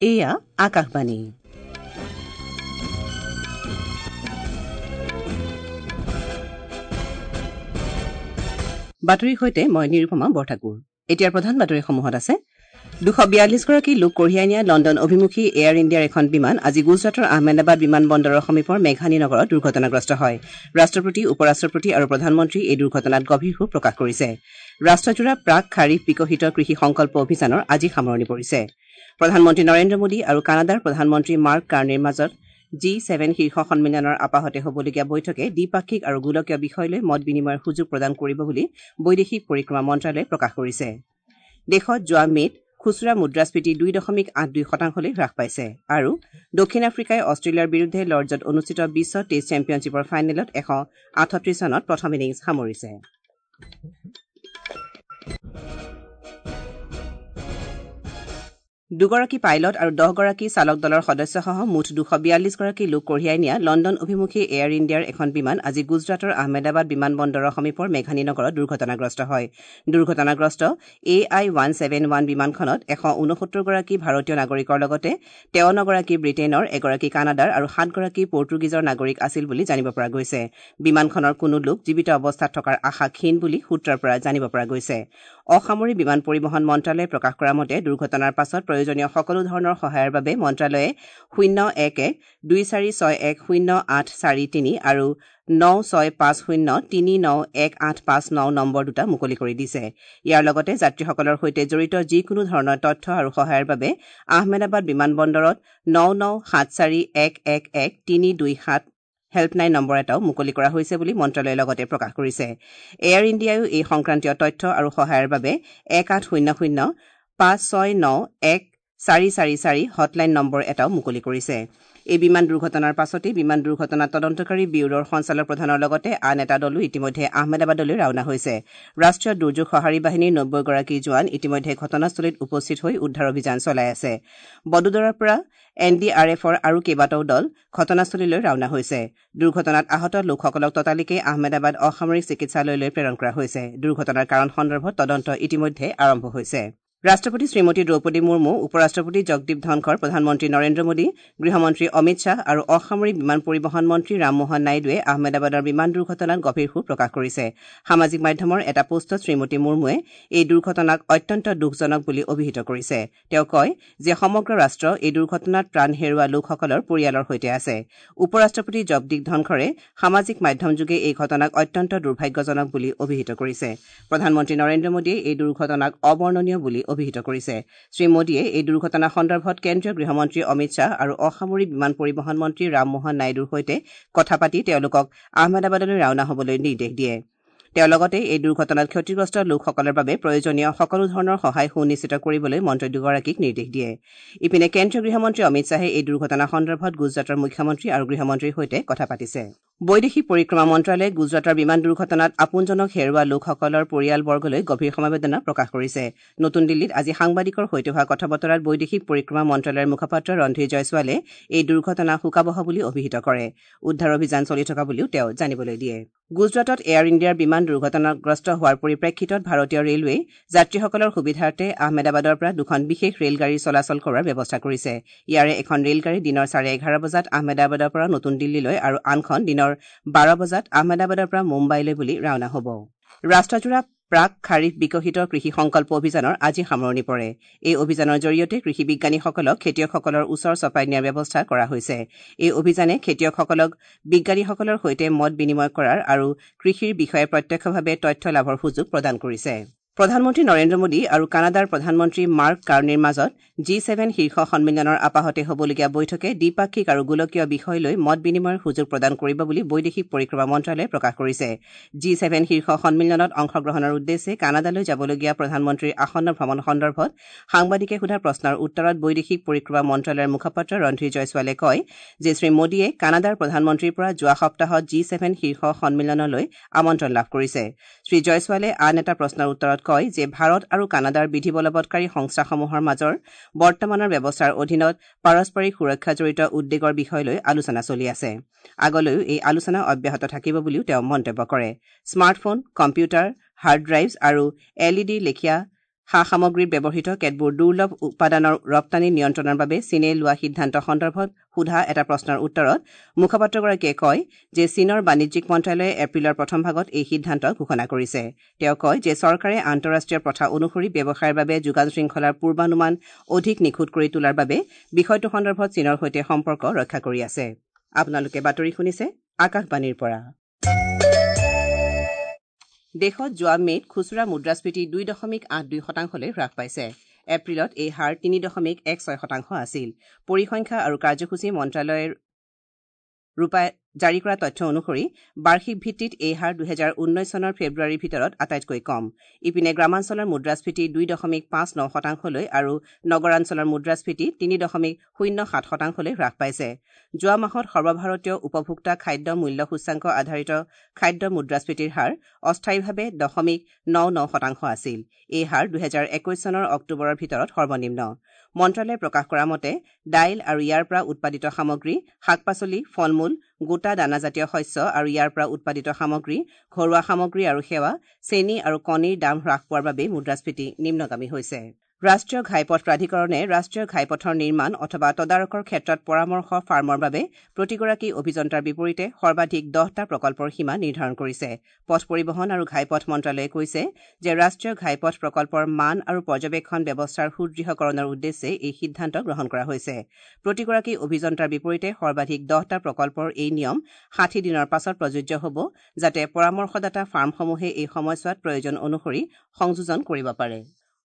এয়া আকাশবাণী। বাতৰিৰ সৈতে মই নিৰুপমা বৰঠাকুৰ। এতিয়াৰ প্ৰধান বাতৰিসমূহত আছে 242গৰাকী লোক কঢ়িয়াই নিয়া লণ্ডন অভিমুখী এয়াৰ ইণ্ডিয়াৰ এখন বিমান আজি গুজৰাটৰ আহমেদাবাদ বিমান বন্দৰৰ সমীপৰ মেঘানী নগৰত দুৰ্ঘটনাগ্ৰস্ত হয়। ৰাষ্ট্ৰপতি, উপ ৰাষ্ট্ৰপতি আৰু প্ৰধানমন্ত্ৰী এই দুৰ্ঘটনাত গভীৰ শোক প্ৰকাশ কৰিছে। ৰাষ্ট্ৰজোৰা প্ৰাক খাৰিফ বিকশিত কৃষি সংকল্প অভিযানৰ আজি সামৰণি পৰিছে। প্ৰধানমন্ত্ৰী নৰেন্দ্ৰ মোদী আৰু কানাডাৰ প্ৰধানমন্ত্ৰী মাৰ্ক কাৰ্নিৰ মাজত জি-7 শীৰ্ষ সন্মিলনৰ আপাহতে হ'বলগীয়া বৈঠকে দ্বিপাক্ষিক আৰু গোলকীয় বিষয় লৈ মত বিনিময়ৰ সুযোগ প্ৰদান কৰিব বুলি বৈদেশিক পৰিক্ৰমা মন্ত্ৰালয়ে প্ৰকাশ কৰিছে। দেশত যোৱা মে'ত খুচুৰা মুদ্ৰাস্ফীতি 2.82 শতাংশলৈ হ্ৰাস পাইছে আৰু দক্ষিণ আফ্ৰিকাই অষ্ট্ৰেলিয়াৰ বিৰুদ্ধে লৰ্ডছত অনুষ্ঠিত বিশ্ব টেষ্ট চেম্পিয়নশ্বিপৰ ফাইনেলত 138 ৰানত প্ৰথম ইনিংছ সামৰিছে। দুগৰাকী পাইলট আৰু 10গৰাকী চালক দলৰ সদস্যসহ মুঠ 242গৰাকী লোক কঢ়িয়াই নিয়া লণ্ডন অভিমুখী এয়াৰ ইণ্ডিয়াৰ এখন বিমান আজি গুজৰাটৰ আহমেদাবাদ বিমান বন্দৰৰ সমীপৰ মেঘানী নগৰত দুৰ্ঘটনাগ্ৰস্ত হয়। দুৰ্ঘটনাগ্ৰস্ত AI 171 বিমানখনত 169গৰাকী ভাৰতীয় নাগৰিকৰ লগতে 53গৰাকী ব্ৰিটেইনৰ, এগৰাকী কানাডাৰ আৰু 7গৰাকী পৰ্টুগীজৰ নাগৰিক আছিল বুলি জানিব পৰা গৈছে। বিমানখনৰ কোনো লোক জীৱিত অৱস্থাত থকাৰ আশা ক্ষীণ বুলি সূত্ৰৰ পৰা জানিব পৰা গৈছে। অসামৰিক বিমান পৰিবহণ মন্ত্ৰালয়ে প্ৰকাশ কৰা মতে দুৰ্ঘটনাৰ পাছত প্ৰয়োজনীয় সকলো ধৰণৰ সহায়ৰ বাবে মন্ত্ৰালয়ে 011 2461 0843 আৰু 9650 391859 নম্বৰ দুটা মুকলি কৰি দিছে। ইয়াৰ লগতে যাত্ৰীসকলৰ সৈতে জড়িত যিকোনো ধৰণৰ তথ্য আৰু সহায়ৰ বাবে আহমেদাবাদ বিমান বন্দৰত 997411 1327 হেল্পলাইন নম্বৰ এটাও মুকলি কৰা হৈছে বুলি মন্ত্ৰালয়ে লগতে প্ৰকাশ কৰিছে। এয়াৰ ইণ্ডিয়ায়ো এই সংক্ৰান্তীয় তথ্য আৰু সহায়ৰ বাবে 1800 569 1444 হটলাইন নম্বৰ এটাও মুকলি কৰিছে। এই বিমান দুৰ্ঘটনাৰ পাছতেই বিমান দুৰ্ঘটনা তদন্তকাৰী ব্যুৰোৰ সঞ্চালক প্ৰধানৰ লগতে আন এটা দলো ইতিমধ্যে আহমেদাবাদলৈ ৰাওনা হৈছে। ৰাষ্ট্ৰীয় দুৰ্যোগ সঁহাৰি বাহিনীৰ 90গৰাকী জোৱান ইতিমধ্যে ঘটনাস্থলীত উপস্থিত হৈ উদ্ধাৰ অভিযান চলাই আছে। বদোদৰাৰ পৰা এন ডি আৰ এফৰ আৰু কেইবাটাও দল ঘটনাস্থলীলৈ ৰাওনা হৈছে। দুৰ্ঘটনাত আহত লোকসকলক ততালিকে আহমেদাবাদ অসামৰিক চিকিৎসালয়লৈ প্ৰেৰণ কৰা হৈছে। দুৰ্ঘটনাৰ কাৰণ সন্দৰ্ভত তদন্ত ইতিমধ্যে আৰম্ভ হৈছে। ৰাষ্ট্ৰপতি শ্ৰীমতী দ্ৰৌপদী মুৰ্মু, উপ ৰাষ্ট্ৰপতি জগদীপ ধনখৰ, প্ৰধানমন্ত্ৰী নৰেন্দ্ৰ মোদী, গৃহমন্ত্ৰী অমিত শ্বাহ আৰু অসামৰিক বিমান পৰিবহণ মন্ত্ৰী ৰামমোহন নাইডুৱে আহমেদাবাদৰ বিমান দুৰ্ঘটনাত গভীৰ শোক প্ৰকাশ কৰিছে। সামাজিক মাধ্যমৰ এটা পোষ্টত শ্ৰীমতী মুৰ্মুৱে এই দুৰ্ঘটনাক অত্যন্ত দুখজনক বুলি অভিহিত কৰিছে। তেওঁ কয় যে সমগ্ৰ ৰাষ্ট্ৰ এই দুৰ্ঘটনাত প্ৰাণ হেৰুওৱা লোকসকলৰ পৰিয়ালৰ সৈতে আছে। উপ ৰাষ্ট্ৰপতি জগদীপ ধনখৰে সামাজিক মাধ্যমযোগে এই ঘটনাক অত্যন্ত দুৰ্ভাগ্যজনক বুলি অভিহিত কৰিছে। প্ৰধানমন্ত্ৰী নৰেন্দ্ৰ মোদীয়ে এই দুৰ্ঘটনাক অবৰ্ণনীয় বুলি অভিহিত কৰিছে। শ্ৰীমোদীয়ে এই দুৰ্ঘটনা সন্দৰ্ভত কেন্দ্ৰীয় গৃহমন্ত্ৰী অমিত শ্বাহ আৰু অসামৰিক বিমান পৰিবহণ মন্ত্ৰী ৰামমোহন নাইডুৰ সৈতে কথা পাতি তেওঁলোকক আহমেদাবাদলৈ ৰাওনা হ'বলৈ নিৰ্দেশ দিয়ে। তেওঁ লগতে এই দুৰ্ঘটনাত ক্ষতিগ্ৰস্ত লোকসকলৰ বাবে প্ৰয়োজনীয় সকলো ধৰণৰ সহায় সুনিশ্চিত কৰিবলৈ মন্ত্ৰী দুগৰাকীক নিৰ্দেশ দিয়ে। ইপিনে কেন্দ্ৰীয় গৃহমন্ত্ৰী অমিত শ্বাহে এই দুৰ্ঘটনা সন্দৰ্ভত গুজৰাটৰ মুখ্যমন্ত্ৰী আৰু গৃহমন্ত্ৰীৰ সৈতে কথা পাতিছে। বৈদেশিক পৰিক্ৰমা মন্ত্ৰালয়ে গুজৰাটৰ বিমান দুৰ্ঘটনাত আপোনজনক হেৰুওৱা লোকসকলৰ পৰিয়ালবৰ্গলৈ গভীৰ সমবেদনা প্ৰকাশ কৰিছে। নতুন দিল্লীত আজি সাংবাদিকৰ সৈতে হোৱা কথা বতৰাত বৈদেশিক পৰিক্ৰমা মন্ত্ৰালয়ৰ মুখপাত্ৰ ৰণধীৰ জয়ছোৱালে এই দুৰ্ঘটনা শোকাৱহ বুলি অভিহিত কৰে। উদ্ধাৰ অভিযান চলি থকা বুলিও তেওঁ জানিবলৈ দিয়ে। গুজৰাটত এয়াৰ ইণ্ডিয়াৰ বিমান দুৰ্ঘটনাগ্ৰস্ত হোৱাৰ পৰিপ্ৰেক্ষিতত ভাৰতীয় ৰেলৱেই যাত্ৰীসকলৰ সুবিধাৰ্থে আহমেদাবাদৰ পৰা দুখন বিশেষ ৰেলগাড়ী চলাচল কৰাৰ ব্যৱস্থা কৰিছে। ইয়াৰে এখন ৰেলগাড়ী দিনৰ 11:30 বজাত আহমেদাবাদৰ পৰা নতুন দিল্লীলৈ আৰু আনখন দিনৰ 12 বজাত আহমেদাবাদৰ পৰা মুম্বাইলৈ বুলি ৰাওনা হ'ব। ৰাষ্ট্ৰজোৰা প্ৰাক খাৰিফ বিকশিত কৃষি সংকল্প অভিযানৰ আজি সামৰণি পৰে। এই অভিযানৰ জৰিয়তে কৃষি বিজ্ঞানীসকলক খেতিয়কসকলৰ ওচৰ চপাই নিয়াৰ ব্যৱস্থা কৰা হৈছে। এই অভিযানে খেতিয়কসকলক বিজ্ঞানীসকলৰ সৈতে মত বিনিময় কৰাৰ আৰু কৃষিৰ বিষয়ে প্ৰত্যক্ষভাৱে তথ্য লাভৰ সুযোগ প্ৰদান কৰিছে। প্ৰধানমন্ত্ৰী নৰেন্দ্ৰ মোদী আৰু কানাডাৰ প্ৰধানমন্ত্ৰী মাৰ্ক কাৰ্নিৰ মাজত জি-7 শীৰ্ষ সন্মিলনৰ আপাহতে হ'বলগীয়া বৈঠকে দ্বিপাক্ষিক আৰু গোলকীয় বিষয় লৈ মত বিনিময়ৰ সুযোগ প্ৰদান কৰিব বুলি বৈদেশিক পৰিক্ৰমা মন্ত্ৰালয়ে প্ৰকাশ কৰিছে। জি-7 শীৰ্ষ সন্মিলনত অংশগ্ৰহণৰ উদ্দেশ্যে কানাডালৈ যাবলগীয়া প্ৰধানমন্ত্ৰীৰ আসন্ন ভ্ৰমণ সন্দৰ্ভত সাংবাদিকে সোধা প্ৰশ্নৰ উত্তৰত বৈদেশিক পৰিক্ৰমা মন্ত্ৰালয়ৰ মুখপাত্ৰ ৰণধীৰ জয়ছোৱালে কয় যে শ্ৰীমোদীয়ে কানাডাৰ প্ৰধানমন্ত্ৰীৰ পৰা যোৱা সপ্তাহত জি-7 শীৰ্ষ সন্মিলনলৈ আমন্ত্ৰণ লাভ কৰিছে। শ্ৰীজয়ছোৱালে আন এটা প্ৰশ্নৰ উত্তৰত কয় যে ভাৰত আৰু কানাডাৰ বিধি বলবৎকাৰী সংস্থাসমূহৰ মাজৰ বৰ্তমানৰ ব্যৱস্থাৰ অধীনত পাৰস্পৰিক সুৰক্ষা জড়িত উদ্বেগৰ বিষয় লৈ আলোচনা চলি আছে। আগলৈও এই আলোচনা অব্যাহত থাকিব বুলিও তেওঁ মন্তব্য কৰে। স্মাৰ্টফোন, কম্পিউটাৰ, হাৰ্ড ড্ৰাইভছ আৰু এল ই ডিৰ লেখীয়া সা সামগ্ৰীত ব্যৱহৃত কেতবোৰ দুৰ্লভ উপাদানৰ ৰপ্তানি নিয়ন্ত্ৰণৰ বাবে চীনে লোৱা সিদ্ধান্ত সন্দৰ্ভত সোধা এটা প্ৰশ্নৰ উত্তৰত মুখপাত্ৰগৰাকীয়ে কয় যে চীনৰ বাণিজ্যিক মন্ত্ৰালয়ে এপ্ৰিলৰ প্ৰথম ভাগত এই সিদ্ধান্ত ঘোষণা কৰিছে। তেওঁ কয় যে চৰকাৰে আন্তঃৰাষ্ট্ৰীয় প্ৰথা অনুসৰি ব্যৱসায়ৰ বাবে যোগান শৃংখলাৰ পূৰ্বানুমান অধিক নিখুঁত কৰি তোলাৰ বাবে বিষয়টো সন্দৰ্ভত চীনৰ সৈতে সম্পৰ্ক ৰক্ষা কৰি আছে। আপোনালোকে বাতৰি শুনিছে আকাশবাণীৰ পৰা। দেশত যোৱা মে'ত খুচুৰা মুদ্ৰাস্ফীতি 2.82 শতাংশলৈ হ্ৰাস পাইছে। এপ্ৰিলত এই হাৰ 3.16 শতাংশ আছিল। পৰিসংখ্যা আৰু কাৰ্যসূচী মন্ত্ৰালয়ৰ জাৰি কৰা তথ্য অনুসৰি বাৰ্ষিক ভিত্তিত এই হাৰ 2019 চনৰ ফেব্ৰুৱাৰীৰ ভিতৰত আটাইতকৈ কম। ইপিনে গ্ৰামাঞ্চলৰ মুদ্ৰাস্ফীতি 2.59 শতাংশলৈ আৰু নগৰাঞ্চলৰ মুদ্ৰাস্ফীতি 3.07 শতাংশলৈ হ্ৰাস পাইছে। যোৱা মাহত সৰ্বভাৰতীয় উপভোক্তা খাদ্য মূল্য সূচ্যাংক আধাৰিত খাদ্য মুদ্ৰাস্ফীতিৰ হাৰ অস্থায়ীভাৱে 0.99 শতাংশ আছিল। এই হাৰ 2021 চনৰ অক্টোবৰৰ ভিতৰত সৰ্বনিম্ন। মন্ত্ৰালয়ে প্ৰকাশ কৰা মতে দাইল আৰু ইয়াৰ পৰা উৎপাদিত সামগ্ৰী, শাক পাচলি, ফল মূল, গোটা দানাজাতীয় শস্য আৰু ইয়াৰ পৰা উৎপাদিত সামগ্ৰী, ঘৰুৱা সামগ্ৰী আৰু সেৱা, চেনী আৰু কণীৰ দাম হ্ৰাস পোৱাৰ বাবেই মুদ্ৰাস্ফীতি নিম্নগামী হৈছে। ৰাষ্ট্ৰীয় ঘাইপথ প্ৰাধিকৰণে ৰাষ্ট্ৰীয় ঘাইপথৰ নিৰ্মাণ অথবা তদাৰকৰ ক্ষেত্ৰত পৰামৰ্শ ফাৰ্মৰ বাবে প্ৰতিগৰাকী অভিযন্তাৰ বিপৰীতে সৰ্বাধিক 10টা প্ৰকল্পৰ সীমা নিৰ্ধাৰণ কৰিছে। পথ পৰিবহণ আৰু ঘাইপথ মন্ত্ৰালয়ে কৈছে যে ৰাষ্ট্ৰীয় ঘাইপথ প্ৰকল্পৰ মান আৰু পৰ্যবেক্ষণ ব্যৱস্থাৰ সুদৃঢ়কৰণৰ উদ্দেশ্যে এই সিদ্ধান্ত গ্ৰহণ কৰা হৈছে। প্ৰতিগৰাকী অভিযন্তাৰ বিপৰীতে সৰ্বাধিক 10টা প্ৰকল্পৰ এই নিয়ম 60 দিনৰ পাছত প্ৰযোজ্য হ'ব, যাতে পৰামৰ্শদাতা ফাৰ্মসমূহে এই সময়ছোৱাত প্ৰয়োজন অনুসৰি সংযোজন কৰিব পাৰে।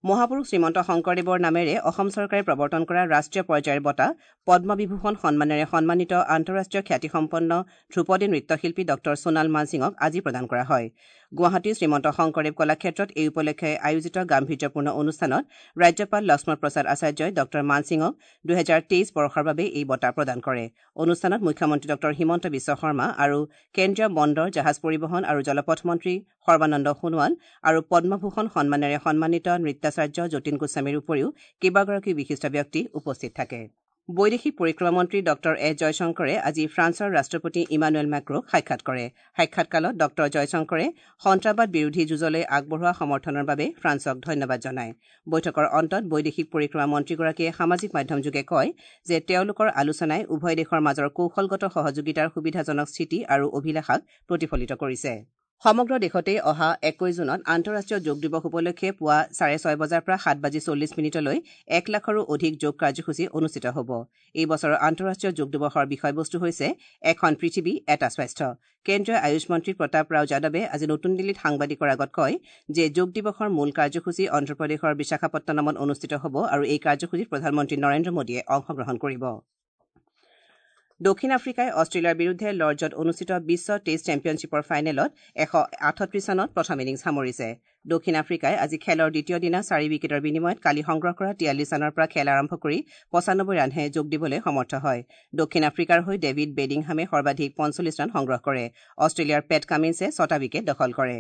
মহাপুৰুষ শ্ৰীমন্ত শংকৰদেৱৰ নামেৰে অসম চৰকাৰে প্ৰৱৰ্তন কৰা ৰাষ্ট্ৰীয় পৰ্যায়ৰ বঁটা পদ্মবিভূষণ সন্মানেৰে সন্মানিত আন্তঃৰাষ্ট্ৰীয় খ্যাতিসম্পন্ন ধ্ৰুপদী নৃত্যশিল্পী ডঃ সোণাল মানসিঙক আজি প্ৰদান কৰা হয়। গুৱাহাটীৰ শ্ৰীমন্ত শংকৰদেৱ কলাক্ষেত্ৰত এই উপলক্ষে আয়োজিত গাম্ভীৰ্যপূৰ্ণ অনুষ্ঠানত ৰাজ্যপাল লক্ষ্মণ প্ৰসাদ আচাৰ্যই ডঃ মানসিঙক 2023 বৰ্ষৰ বাবে এই বঁটা প্ৰদান কৰে। অনুষ্ঠানত মুখ্যমন্ত্ৰী ডঃ হিমন্ত বিশ্ব শৰ্মা আৰু কেন্দ্ৰীয় বন্দৰ, জাহাজ পৰিবহণ আৰু জলপথ মন্ত্ৰী সৰ্বানন্দ সোণোৱাল আৰু পদ্মভূষণ সন্মানেৰে সন্মানিত নৃত্যাচাৰ্য যতীন গোস্বামীৰ উপৰিও কেইবাগৰাকীও বিশিষ্ট ব্যক্তি উপস্থিত থাকে। বৈদেশিক পৰিক্ৰমা মন্ত্ৰী ডঃ এছ জয়শংকৰে আজি ফ্ৰান্সৰ ৰাষ্ট্ৰপতি ইমানুৱেল মেক্ৰ'ক সাক্ষাৎ কৰে। সাক্ষাৎকালত ডঃ জয়শংকৰে সন্ত্ৰাসবাদ বিৰোধী যুঁজলৈ আগবঢ়োৱা সমৰ্থনৰ বাবে ফ্ৰান্সক ধন্যবাদ জনায়। বৈঠকৰ অন্তত বৈদেশিক পৰিক্ৰমা মন্ত্ৰীগৰাকীয়ে সামাজিক মাধ্যমযোগে কয় যে তেওঁলোকৰ আলোচনাই উভয় দেশৰ মাজৰ কৌশলগত সহযোগিতাৰ সুবিধাজনক স্থিতি আৰু অভিলাষাক প্ৰতিফলিত কৰিছে। সমগ্ৰ দেশতে অহা 21 জুনত আন্তঃৰাষ্ট্ৰীয় যোগ দিৱস উপলক্ষে পুৱা 6:30 বজাৰ পৰা 7:40 1 লাখৰো অধিক যোগ কাৰ্যসূচী অনুষ্ঠিত হ'ব। এই বছৰৰ আন্তঃৰাষ্ট্ৰীয় যোগ দিৱসৰ বিষয়বস্তু হৈছে এখন পৃথিৱী এটা স্বাস্থ্য। কেন্দ্ৰীয় আয়ুষ মন্ত্ৰী প্ৰতাপ ৰাও যাদৱে আজি নতুন দিল্লীত সাংবাদিকৰ আগত কয় যে যোগ দিৱসৰ মূল কাৰ্যসূচী অন্ধ্ৰপ্ৰদেশৰ বিশাখাপট্টনমত অনুষ্ঠিত হ'ব আৰু এই কাৰ্যসূচীত প্ৰধানমন্ত্ৰী নৰেন্দ্ৰ মোদীয়ে অংশগ্ৰহণ কৰিব। দক্ষিণ আফ্ৰিকাই অষ্ট্ৰেলিয়াৰ বিৰুদ্ধে লৰ্ডছত অনুষ্ঠিত বিশ্ব টেষ্ট চেম্পিয়নশ্বিপৰ ফাইনেলত 138 ৰানত প্ৰথম ইনিংছ সামৰিছে। দক্ষিণ আফ্ৰিকাই আজি খেলৰ দ্বিতীয় দিনা 4 উইকেটৰ বিনিময়ত কালি সংগ্ৰহ কৰা 43 ৰানৰ পৰা খেল আৰম্ভ কৰি 95 ৰানহে যোগ দিবলৈ সমৰ্থ হয়। দক্ষিণ আফ্ৰিকাৰ হৈ ডেভিড বেডিংহামে সৰ্বাধিক 45 ৰান সংগ্ৰহ কৰে। অষ্ট্ৰেলিয়াৰ পেট কামিন্সে 6টা উইকেট দখল কৰে।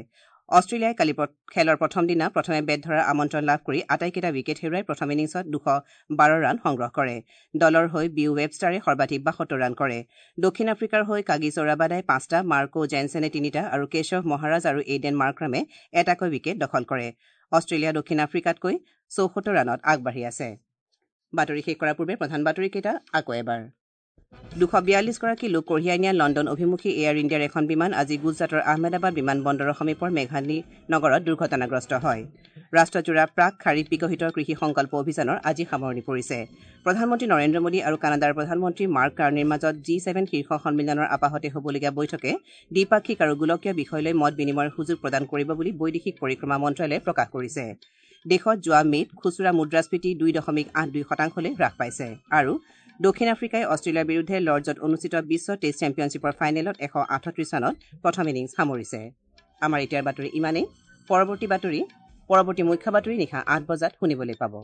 অষ্ট্ৰেলিয়াই কালি খেলৰ প্ৰথম দিনা প্ৰথমে বেট ধৰাৰ আমন্ত্ৰণ লাভ কৰি আটাইকেইটা উইকেট হেৰুৱাই প্ৰথম ইনিংছত 212 ৰান সংগ্ৰহ কৰে। দলৰ হৈ বিউ ৱেবষ্টাৰে সৰ্বাধিক 72 ৰান কৰে। দক্ষিণ আফ্ৰিকাৰ হৈ কাগিছ ৰাবাডাই 5টা, মাৰ্কো জেনছেনে 3টা আৰু কেশৱ মহাৰাজ আৰু এইডেন মাৰ্ক্ৰামে এটাকৈ উইকেট দখল কৰে। অষ্ট্ৰেলিয়া দক্ষিণ আফ্ৰিকাতকৈ 74 ৰানত আগবাঢ়ি আছে। বাতৰি শেষ কৰাৰ পূৰ্বে প্ৰধান বাতৰিকেইটা আকৌ এবাৰ। 242 গৰাকী লোক কঢ়িয়াই নিয়া লণ্ডন অভিমুখী এয়াৰ ইণ্ডিয়াৰ এখন বিমান আজি গুজৰাটৰ আহমেদাবাদ বিমানবন্দৰৰ সমীপৰ মেঘালী নগৰত দুৰ্ঘটনাগ্ৰস্ত হয়। ৰাষ্ট্ৰজোৰা প্ৰাক খাৰিফ বিকশিত কৃষি সংকল্প অভিযানৰ আজি সামৰণি পৰিছে। প্ৰধানমন্ত্ৰী নৰেন্দ্ৰ মোদী আৰু কানাডাৰ প্ৰধানমন্ত্ৰী মাৰ্ক কাৰ্নিৰ মাজত G7 শীৰ্ষ সন্মিলনৰ আপাহতে হ'বলগীয়া বৈঠকে দ্বিপাক্ষিক আৰু গোলকীয় বিষয় লৈ মত বিনিময়ৰ সুযোগ প্ৰদান কৰিব বুলি বৈদেশিক পৰিক্ৰমা মন্ত্ৰালয়ে প্ৰকাশ কৰিছে। দেশত যোৱা মে'ত খুচুৰা মুদ্ৰাস্ফীতি 2.82 শতাংশলৈ হ্ৰাস পাইছে আৰু দক্ষিণ আফ্ৰিকাই অষ্ট্ৰেলিয়াৰ বিৰুদ্ধে লৰ্ডছত অনুষ্ঠিত বিশ্ব টেষ্ট চেম্পিয়নশ্বিপৰ ফাইনেলত 138 ৰানত প্ৰথম ইনিংছ সামৰিছে। আমাৰ এতিয়াৰ বাতৰি ইমানেই। পৰৱৰ্তী মুখ্য বাতৰি নিশা 8 বজাত শুনিবলৈ পাব।